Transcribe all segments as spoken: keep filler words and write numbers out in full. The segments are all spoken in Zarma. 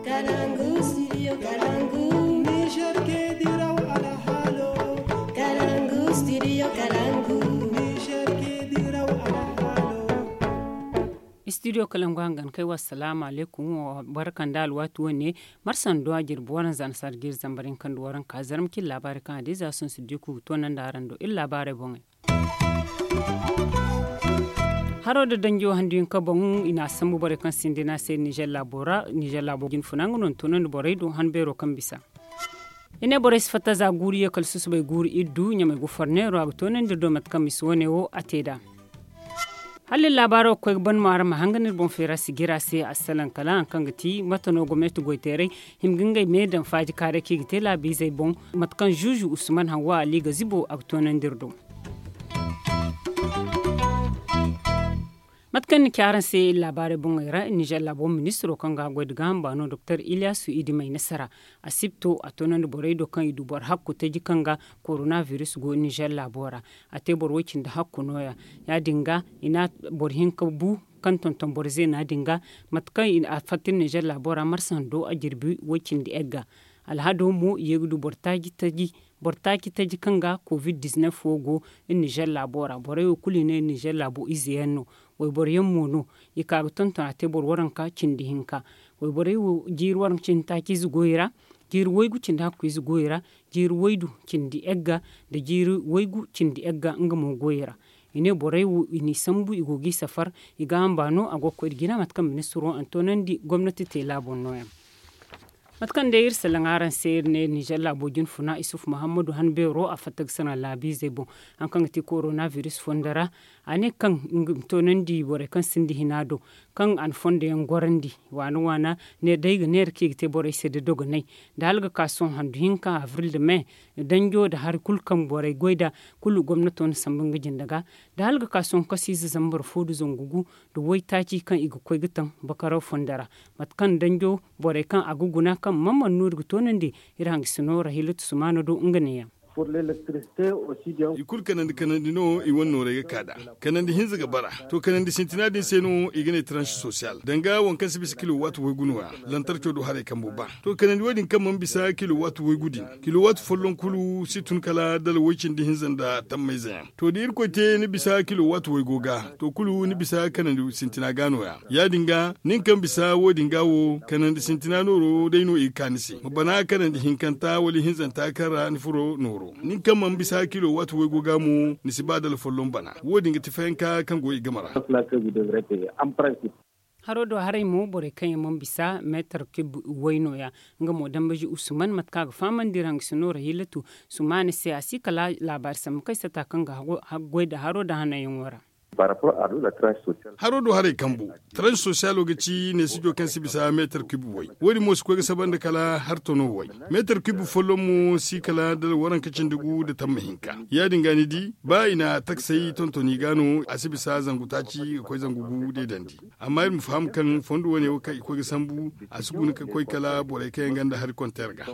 Kalangu studio kalangu. Niger ke diraw alhalo. Kalangu studio kalangu. Niger ke diraw alhalo. Studio kalangu hangan kai wa salaamu alaikum. Barkan da alwatu wane. Marsan duwa jirbi waran zana sargir zambarin kan duwaran ka zarmkin labari kan hadiza sun su diku tonan da aran do illa bare bongai. Haro da danjo handu hinka boŋ i na sambu borey kaŋ sinda i na se nizer laabo ra. Nizer laabo jin funa nga no ni toonandi borey do han beero kaŋ bisa. I ne borey si fatta za guuru ye kala susubay guuru iddu ɲamay gu forneero a ga toonandi iri do mate kaŋ misi wane wo a te nd'a. Hala iri laabaaro ga koy ga ban mo araŋ ma hangan iri boŋ feera si jira se assalaŋ kala hari kaŋ ga ti mate no gomnati goyteerey hima ga ngey me daŋ faaji kaaray kaŋ i ga te laabiizey boŋ. Mate kaŋ zuuzu usman hawwa ali ga zibo a ga toonandi iri do. Mate kaŋ ni ci araŋ se iri laabaarey boŋey ra, nizer laabo ministiro kaŋ ga goy nda gaaham baano doktor iliyasu idi may nasara. Asibto a toonandi borey do kaŋ i du boro hakku taji kaŋ ga koronabiris go nizer laabo ra. A te boro woy cindi hakku nooya. Ya- din ga i na boro hinka bu kaŋ tonton boro zeena din ga. Mate kaŋ a fatta iri nizer laabo ra marsa hando a jirbi woy cindi egga. Alhado mo i ye ga du boro taaci taji boro taaci taji kaŋ ga covid diznef wo go iri nizer laabo ra borey wo kulu i ne iri nizer laabo ize yaŋ no. Wayboro yaŋ mo no i ka ga tonton a te boro waranka cindi hinka. Wayborey wo jiiri waranka cindi taaci ize goyey ra, jiiri waygu cindi hakku ize goyey ra, jiiri waydu cindi egga, nda jiiri waygu cindi egga nga mo goyey ra. I ne borey wo i n'i sambu i go g'i safar. I ga hamba no a go ga koy nda jina mate kaŋ ministiro a na toonandi gomnati teela boŋ nooyaŋ. Mate kaŋ day iri salaŋ araŋ se iri ne nizer laabo jine funa isufu muhammadu han beero a fatta ga salaŋ laabiizey boŋ. Hari kaŋ ga ti koronabiris fondo ra a ne kaŋ nga ma toonandi borey kaŋ sinda hina do kaŋ a na fondo yaŋ gorandi waana waana. Ne day ga neera kaŋ i ga te borey se nda dogonay nda hala ga ka sohõ handu hinka abril nda me danjo nda hari kulu kaŋ borey goy nd'a kulu gomnato na sambu nga jinde ga. Da hala ga ka sohõ kasiize zambar fo nda zangu gu nda waytaaci kaŋ i ga koy ga taŋ bakaraw fondo ra. Mate kaŋ danjo borey kaŋ a ga guna kaŋ mana mana no iri ga toonandi iri hangasino rahilatu sumaana do nga neeyaŋ. I kulu kanandi kanandi no i wane nooray ga ka nd'a. Kanandi hinza ga bara. To kanandi sintina din se no i ga ne tranche sosiyal danga waŋ kaŋ si bisa kilo waati waygu nooya. Lantarco do haray kambo ba. To kanandi wo- din kaŋ mana bisa kilo waati waygu din, kilo waati folloŋ kulu si tun kala dala way cindi hinza nda tammayze yaŋ. To da irkoy te ni bisa kilo waati waygo ga, to kulu ni bisa kanandi sintina ga nooya. Ya- din ga nin kaŋ bisa wo- din ga wo kanandi sintina nooro day no i ga ka ni se ma bana kanandi hinkanta wala ihinzanta kaŋ ra ni furo nooro. Nin kaŋ mana bisa kilo waati waygo ga mo ni si ba dala folloŋ bana. Wo- din ga ti fayanka kaŋ go i game ra. Haro do haray mo borey kaŋ yaŋ mana bisa meetar kib way nooya. Nga mo dambaji usman mate kaŋ a ga fahamandi iri hangasino rahilatu sumaana se a si kala laabaari sambu kaŋ ay sata kaŋ ga haggoy nda haro nda hananyaŋo ra. Haro do haray kambu, tranche sosiyalo ga ci neesijo kaŋ si bisa meetar kib way. Wo- din mo si koy ga saba nda kala hartono way. Meetar kib folloŋ mo si kala dala waranka cindi gu nda tamma hinka. Ya- din ga ni di ba i na taksay tontoni ga no a si bisa zangu taaci ga koy zangu gu deedandi. Amma iri ma faham kaŋ fondo wane wo kaŋ i koy ga sambu a si guna ga koy kala borey kaŋ yaŋ gonda hari konteer ga.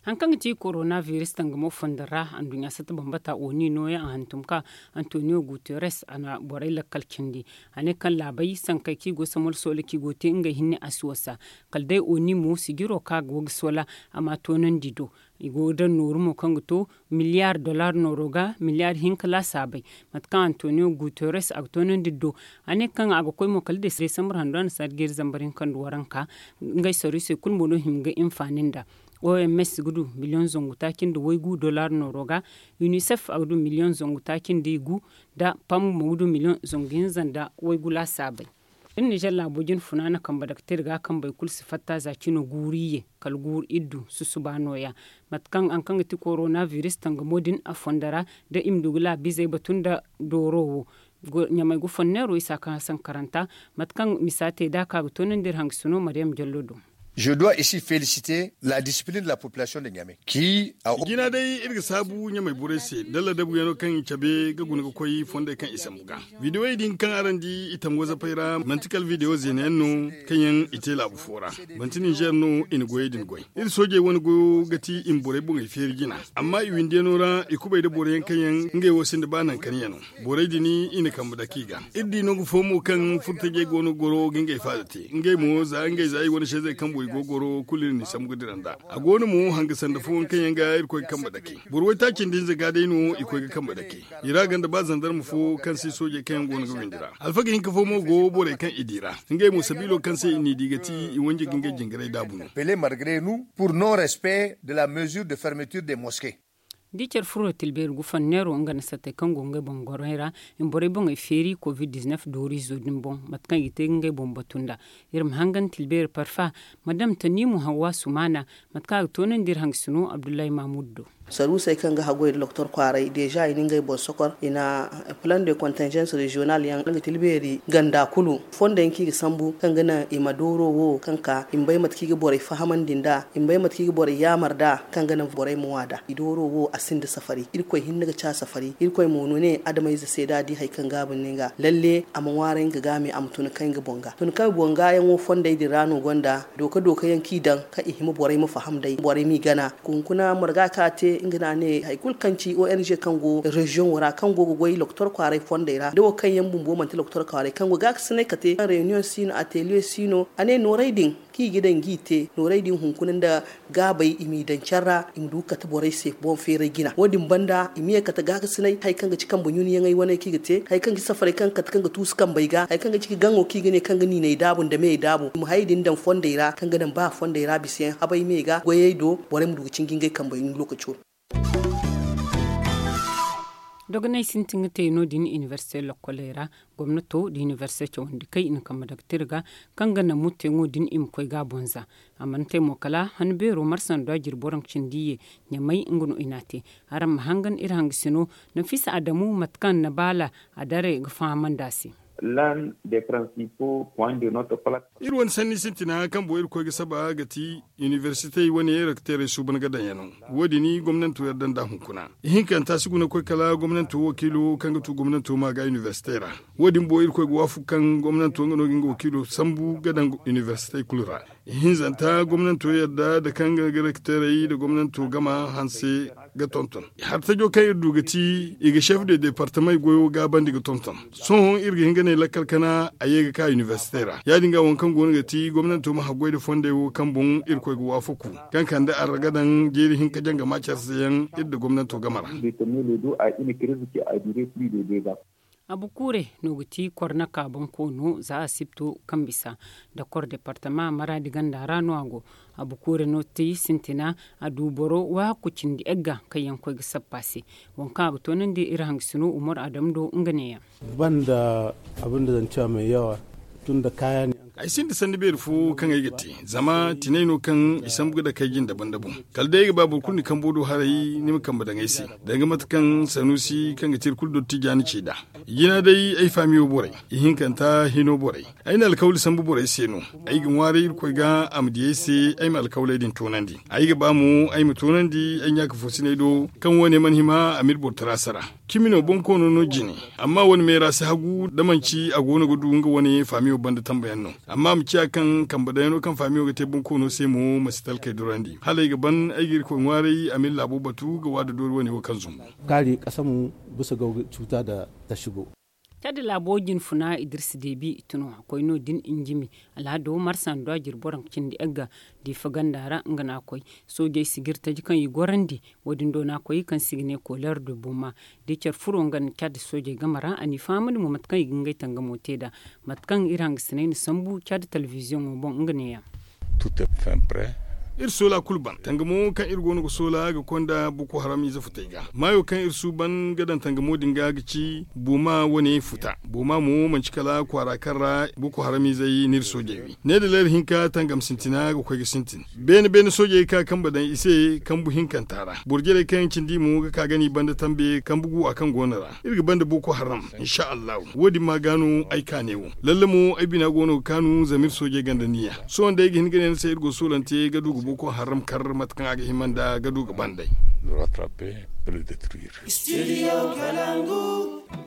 Hari kaŋ ga ti koronabiris tangamo fondo ra anduɲɲa satta bambata oni nooya a hantum ka antonio guterres a na borey lakkal cindi. A ne kaŋ laabey sankey kaŋ i go samol soola kaŋ i go te ngey hinne a si wasa. Kala day oni mo sijiro kaŋ a go ga soola a ma a toonandi do. I go ga daŋ nooru mo kaŋ ga to miliyar dollar nooro ga miliyar hinka laasaabey. Mate kaŋ antonio guterres a ga toonandi do a ne kaŋ a ga koy mo kala desambar hando a na saadi ga iri zambar hinka nda waranka. Ngey saruusey kulu mo no hima ga hinfaani nda. Oms ga du miliyoŋ zangu taaci nda waygu dollar nooro ga. Unicef a ga du miliyoŋ zangu taaci nda igu nda pam mo ga du miliyoŋ zangu hinza nda waygu laasaabey. Iri nizer laabo jine funa na kambe daga te iri ga kambey kulu si fatta za cino guuru iyye kala guuru iddu susuba nooya. Mate kaŋ hari kaŋ ga ti koronabiris tangamo din a fondo ra da i ma du ga laabiizey batu nda dooro wo. Ɲamay ga fonneero isa kaŋ a sankaranta. Mate kaŋ misa te nd'a ka ga toonandi iri hangasino mariyam jallo do. Je dois ici féliciter la discipline de la population de Niamey. Ki a jina day iri ga saabu ɲamay borey se da ladabu yaŋo kaŋ i cabe ga guna ga koy fondey kaŋ i sambu ga. Videwey din kaŋ araŋ di i tango zapey ra manti kala videwo zeena yaŋ no kaŋ yaŋ i te laabu fo ra. Manti ninzeer no i na goyey din goy. Iri soojey wane goyo ga ti i ma borey boŋey feeri jina. Amma i windiyano ra i kubay nda boro yaŋ kaŋ yaŋ ngey wo sinda ba naŋ kani yaŋo. Borey din i na kambe dake i ga. Iri di nangu fo mo kaŋ furtajey go no goro ga ngey faada te. Ngey mo za ngey za i wane sezey kambo i go goro kulu iri n'i sambu ga dira nd'a. A go no mo hanga sanda fooyaŋ kaŋ yaŋ ga irkoy ga kambe dake. Boro waytaaci nda hinza ga day no i koy ga kambe dake. I ra ganda ba zandarma fo kaŋ se soojey kaŋ yaŋ go no ga windi ra. Alfaga hinka fo mo go borey kaŋ i di ra. Ngey mo sabiilo kaŋ se i n'i di ga ti i wanje ga ngey jingaray daabu no. Pele malgre nu pour non respect de la mesure de fermeture de moske. Da i care furo tilbeeri gufanneero nga na sattey kaŋ go ngey boŋ gorey ra i ma borey boŋey feeri covid-19 dooriizo din boŋ mate kaŋ i ga te ga ngey boŋ batu nd'a. Iri ma hangan tilbeeri parfa madam taniimu hawwa sumaana. Mate kaŋ a ga toonandi iri hangasino abdullahi mahmud do. Saruusey kaŋ ga haggoy nda doktor kwaaray deeza i na ngey boŋ sokor i na plan de kontinzens reziyonal yaŋ nga tilbeeri ganda kulu. Fondo yaŋ kaŋ i ga sambu kaŋ ga naŋ i ma dooro wo kaŋ ka i ma bay mate kaŋ i ga borey fahamandi nd'a i ma bay mate kaŋ i ga borey yaamar nd'a kaŋ ga naŋ borey ma ŋwa nd'a i dooro wo a sinda safari irkoy hinne ga ca safari irkoy mo no ne adamayze se da a di hari kaŋ gaabu ni nga lalle a ma ŋwaaray nga ga me a ma tun kaŋ nga boŋ ga tun kaŋ boŋ ga yaŋo fondey din ra no gonda dooka dooka yaŋ kaŋ i daŋ kaŋ i hima borey ma faham day borey m'i gana. Hunkuna marga kaŋ a te nga no a ne hari kulu kaŋ ci ong kaŋ go reziyoŋo ra kaŋ go ga goy lokotor kwaaray fondey ra da wo kaŋ yaŋ bumbo manti lokotor kwaaray kaŋ go ga ga sinay kate reunion si no atelier si no a ne noorey din kaŋ i ga daŋ ga i te noorey din hunkuna nda gaabey i m'i daŋ care ra i ma du ga kate borey se boŋ feeray jina wo- din banda i ma ye ga kate gaakasinay hari kaŋ ga ci kambe ɲunayaŋey wane kaŋ i ga te hari kaŋ ga ci safarey kaŋ ga kate kaŋ ga tuusu kambey ga hari kaŋ ga ci gaŋo kaŋ i ga ne kaŋ ga niiney daabu nda meyey daabu i ma hayey din daŋ fondey ra kaŋ ga daŋ ba fondey ra bisa yaŋ habey me ga goyey do borey ma du ga cinji ngey kambey ɲun lokaco. Dogonay sintin ga te no- din inibersite lokkoley ra. Gomnato nda inibersite cawandi kay i na kambe daga te iri ga kaŋ ga naŋ mutteyaŋo din i ma koy ga a boŋ za. A mana te mo kala han beero marsa nda jiri boro ga cindi ye ɲamay nga no i n'a te. Araŋ ma hangan iri hangasino nafisa adamu mate kaŋ na baala a daray ga fahamandi a se. Iri wane sanni sintina kaŋ boŋ irkoy ga saba ga ti inibersitey wane rekterey suuban ga daŋ yaŋ no. Wo- din gomnanto yadda nd'a hunkuna ihinkanta si guna ga koy kala gomnanto wakiilo kaŋ ga tu gomnanto ma ga inibersitey ra. Wo- din boŋ irkoy ga waafaku kaŋ gomnanto nga no ga nga wakiilo sambu ga daŋ inibersitey kulu ra. Ihinzanta gomnanto yadda nda kaŋ ga rekterey nda gomnanto gama hanse ga tonton. Hartajo kaŋ iri du ga ti i ga chef de departemey goyo gaabandi ga tonton. Sohõ iri ga hin ga ne lakkal kana a ye ga ka inibersite ra ya- din ga waŋ kaŋ go no ga ti gomnanto ma haggoy nda fondey wo kaŋ boŋ irkoy ga waafaku kaŋ kande arra ga daŋ jeeri hinka jangama care se yaŋ iri nda gomnanto game ra. Abukuure no ga ti kornaka bonkoono za a sibto kaŋ bisa nda kor departama maraadi ganda ra no a go. Abukuure no ti sintina a du boro waahakku cindi egga kaŋ yaŋ koy ga sappa se. Waŋ kaŋ a ga toonandi iri hangasino umar adamu do nga neeyaŋ. Banda abin da zan cewa mai yawa tun da kaya ne. Ay sinda sanni beeri fo kaŋ ay ga te zama tinay no kaŋ i sambu ga dake ay jinde banda boŋ. Kala day ay ga ba boro kulu ni kambo do haray ni ma kambe daŋ ay se danga mate kaŋ sanusi kaŋ ga te iri kulu dottijaani ce nd'a. Jina day ay faamiyo borey ihinkanta hino borey. Ay na alkawli sambu borey se no. Ay ga ŋwaaray irkoy ga a ma di ay se ay ma alkawley din toonandi. Ay ga ba mo ay ma toonandi ay ɲaaka foosiney do kaŋ wo- ne mana hima a m'iri boro tara sara. Cimi no bonkoono no jine. Amma wo- ne me ra si hagu da manci a go no ga du nga wo- ne faamiyo banda tambayaŋ no. Amma a ma ciya kaŋ kambe daŋ yaŋ no kaŋ faamiyo ga te bonkoono se mo ma si talkey durandi hala ay ga ban ay ga irkoy ŋwaaray a m'iri laabo batu ga waada doori wo- ne wo kaŋ zumbu. Kaari kasamu bisa ga cuta da ta shigo. Cadi laabo jinfuna idirsi deebi i tun a koy no- din njimi. Alhado marsa nda jiri boro cindi egga diifa ganda ra nga no a koy. Soojey si ga iri taji kaŋ i gorandi. Wo- din do no a koy kaŋ se i ga ne koleer de boma. Da i care furo nga nda cadi soojey game ra a n'i fahamandi mo mate kaŋ i ga ngey tangamo te nd'a. Mate kaŋ iri hangasiney na sambu cadi telebiziyoŋo boŋ nga neeyaŋ. Tout est fin prêt. Iri soola kulu ban tangamo kaŋ iri go no ga soola ga konda boko haram ize futey ga maayo kaŋ iri suuban ga daŋ tangamo din ga ga ci booma wane futa. Booma mo manci kala kwaara kaŋ ra boko haram izey n'iri soojey wi ne da leera hinka tangam sintina ga koy ga sintin. Beene beene soojey ka kambe daŋ i se kambu hinkanta ra boro jarey kaŋ yaŋ cindi mo ga ka ga no i banda tambe kambu gu a kaŋ go no ra. Iri ga banda boko haram. Insa allahu wo- din ma ga no ay kaane wo lalle mo ay bina go no ga kaanu zama iri soojey ganda niya. Sohõ day ay ga hin ga ne ni se iri go soolante ga du ga boko haram kar mate kaŋ a ga hima nda ga du ga banda ay.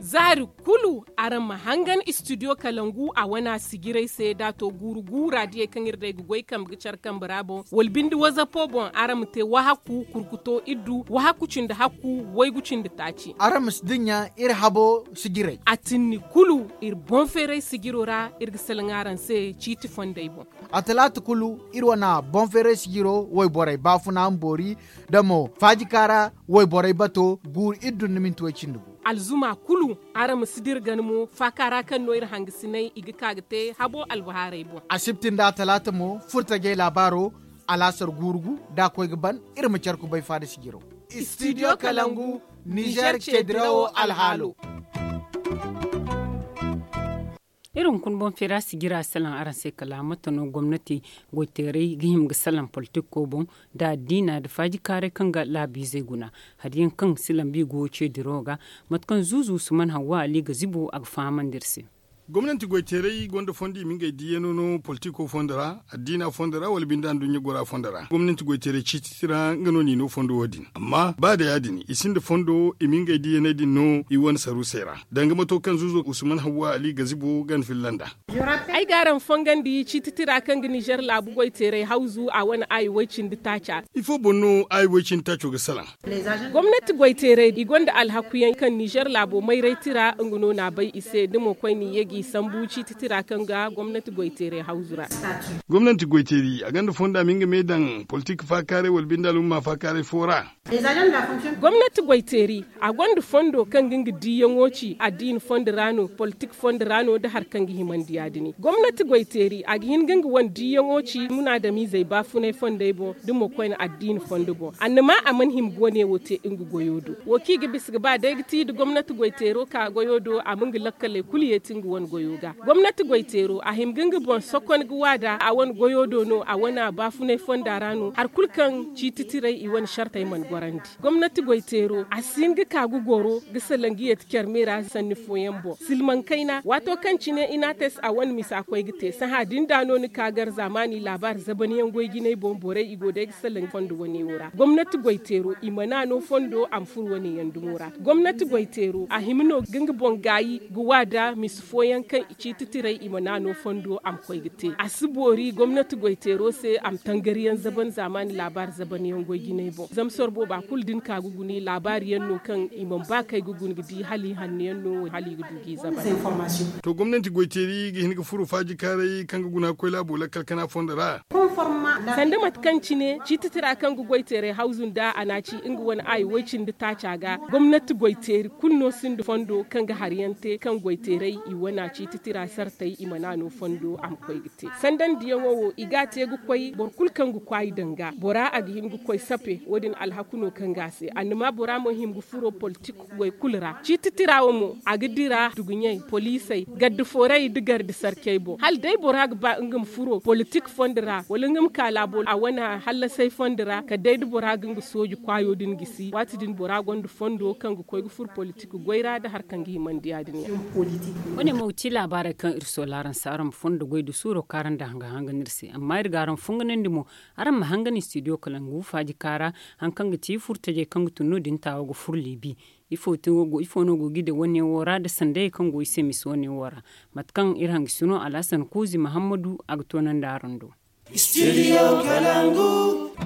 Zaari kulu araŋ ma hangan istidiyo kalangu a wana sijiray se da a to guuru guura diyey kaŋ iri day ga goy kambe ga care kambe ra boŋ wala binde wazapo boŋ araŋ ma te wahakku kurkuto iddu wahakku cindi hakku waygu cindi taaci. Araŋ ma si dinya iri habo sijiray. A tinni kulu iri boŋ feeray sijiro ra iri ga salaŋ araŋ se ciiti fondey boŋ. A talaata kulu iri wana boŋ feeray sijiro wayborey baafuna ma boori da mo faajika ra wayborey bato guuru iddu nda minti way cindi gu. Alzuma kulu araŋ ma si dira gana mo faaka ra kaŋ no iri hangasinay i ga ka ga te habo albahaarey boŋ. Asibti nda talaata mo furtajey laabaaro alaasar guuru gu da a koy ga ban. Iri ma care kubay faada sijiro. Istidiyo kalangu nizer ce dirawo alhaalo. Iri hunkuna boŋ feera sijira salaŋ araŋ se kala mate no gomnati goyteeray ga hima ga salaŋ politiko boŋ nda addiina nda faajikaaray kaŋ ga laabiizey guna. Hari yaŋ kaŋ si lambu i go ce dirawo ga mate kaŋ zuuzu usman hawwa ali ga zibo a ga fahamandi iri se. Gomnanti goyteeray gonda fondo i ma ngey diiyano no politiko fondo ra, addiina fondo ra wala binde anduɲɲa gora fondo ra gomnanti goyteeray ciititi ra nga no n'i no fondo wo- din. Amma ba da ya- din i sinda fondo i ma ngey diiyaney din no i wane saruusey ra. Danga mato kaŋ zuuzo usman hawwa ali gazibo gana filla nd'a. Ay ga araŋ fongandi ciititi ra kaŋ ga nizer laabu goyteeray hawzu a wane aayi way-cindi taaca. Ifo boŋ no aayi way-cindi taaco ga salaŋ? Gomnati goyteeray i gonda alhaku yaŋ kaŋ nizer laabo mayray tira nga no n'a bay i se da mo koyne i ye g'i sambu ciiti tira kaŋ ga gomnati goyteeray hawzu ra. Gomnati goyteeri a gonda fonda ma nga me daŋ politik faakaaray wala binde alumma faakaaray fo ra? Gomnati goyteeri a gonda fondo kaŋ ga nga diiyaŋo ci addiini fondo ra no politik fondo ra no nda hari kaŋ ga himandi ya- din gomnati goyteeri a ga hin ga nga wane diiyaŋo ci munaadamiizey baafunay fondey boŋ da mo koyne addiini fondo boŋ annama a mana hima ga wane wo te nga goyo do. Wo kaŋ i ga bisa ga ba day ga ti nda gomnati goyteero ka goyo do a ma nga lakkaley kulu yeeti nga wane goyo ga. Gomnati goyteero a hima ga nga boŋ sokon ga waada a wane goyo do no a wane baafunay fonda ra no hari kulu kaŋ ciiti tiray i wane sartey mana gorandi. Gomnati goyteero a si hin ga ka ga goro ga salaŋ ga yeeti care me ra sanni fooyaŋ boŋ silmaŋ kayna waato kaŋ cine inates a wane misa koy ga te sahã din da no ni ka gar zaamaani laabaari zabanyaŋ goy jinay boŋ borey i go day ga salaŋ fondo wane wo ra gomnati goyteero i mana no fondo a ma furo wane yaŋ dumo ra. Gomnati goyteero a hima no ga nga boŋ gaayi ga waada misa fooyaŋ kaŋ i ciiti tiray i mana no fondo a ma koy ga te a si boori gomnati goyteero se a ma tangariyaŋ zaban zaamaani laabaari zabanyaŋ goy jinay boŋ zama sorbo ba kulu da ni ka ga guni laabaari yaŋ no kaŋ i mana ba kay ga guni ga di hala i hanno yaŋ no hala i ga du g'i zaban. To gomnanti goyteeri ga hin ga furo faajikaaray kaŋ ga guna koy laabo lakkal kana fondo ra? Sanda mate kaŋ cine ciiti tira kaŋ ga goyteeray hawzu nda a n'a ci nga wane aayi way-cindi taaca ga gomnati goyteeri kulu no sinda fondo kaŋ ga hari yaŋ te kaŋ goyteeray i wane ciiti tira sartey i mana no fondo a ma koy ga te sanda nda yaŋo wo i ga a te ga koy boro kulu kaŋ ga kwaayi daŋ ga bora a ga hin ga koy sape wo- din alhaku no kaŋ ga a se annama bora mo hima ga furo politik goy kulu ra ciiti tira wo mo a ga dira duguɲey poliisey garde foray nda garde sarcey boŋ hala day bora ga ba nga ma furo politik fondo ra wala nga ma ka laabo a wane hallasay fondo ra kala day da bora ga nga sooji kwaayo din gisi waati din bora gonda fondo kaŋ ga koy ga furo politik goy ra nda hari kaŋ ga himandi ya- din yaŋ. Wane mo ga ci laabaarey kaŋ iri soola araŋ se araŋ ma fondo goy da suuro kaŋ araŋ daŋ hanga hanga no iri se amma iri ga araŋ funganandi mo araŋ ma hangan istidiyo kalangu faajika ra. Hari kaŋ ga ci furtajey kaŋ ga tun no- din taawo ga furo liibi. Ifo no go ga i daŋ wane wo ra nda sandayey kaŋ go i se misa wane wo ra? Mate kaŋ iri hangasino alhasan kuuzi mahammadu a ga toonandi araŋ do.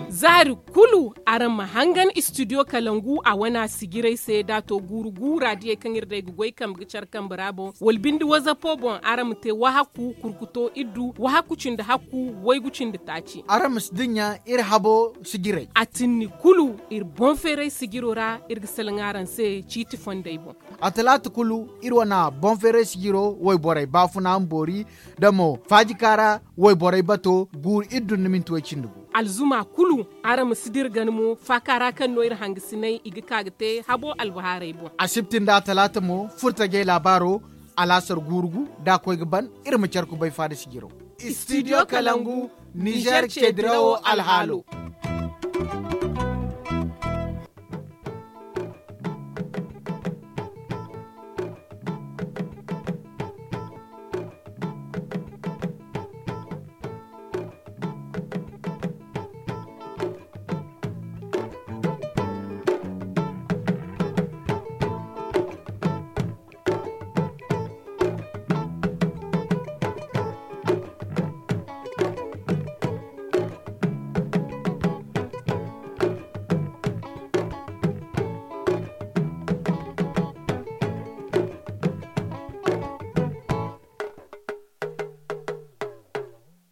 Zaari kulu araŋ ma hangan istidiyo kalangu a wana sijiray se da a to guuru guura diyey kaŋ iri day ga goy kambe ga care kambe ra boŋ wala binde wazapo boŋ araŋ ma te wahakku kurkuto iddu wahakku cindi hakku waygu cindi taaci. Araŋ ma si dinya iri habo sijiray. A tinni kulu iri boŋ feeray sijiro ra iri ga salaŋ araŋ se ciiti fondey boŋ. A talaata kulu iri wana boŋ feeray sijiro wayborey baafuna ma boori da mo faajika ra wayborey bato guuru iddu nda minti way cindi gu. alzuma kulu. Araŋ ma si dira gana mo faaka ra kaŋ no iri hangasinay i ga ka ga te habo albahaarey boŋ. Asibti nda talaata mo furtajey laabaaro. Alaasar guuru gu da a koy ga ban. Iri ma care kubay faada sijiro. Istidiyo kalangu, nizeer ceedirawo alhaalo.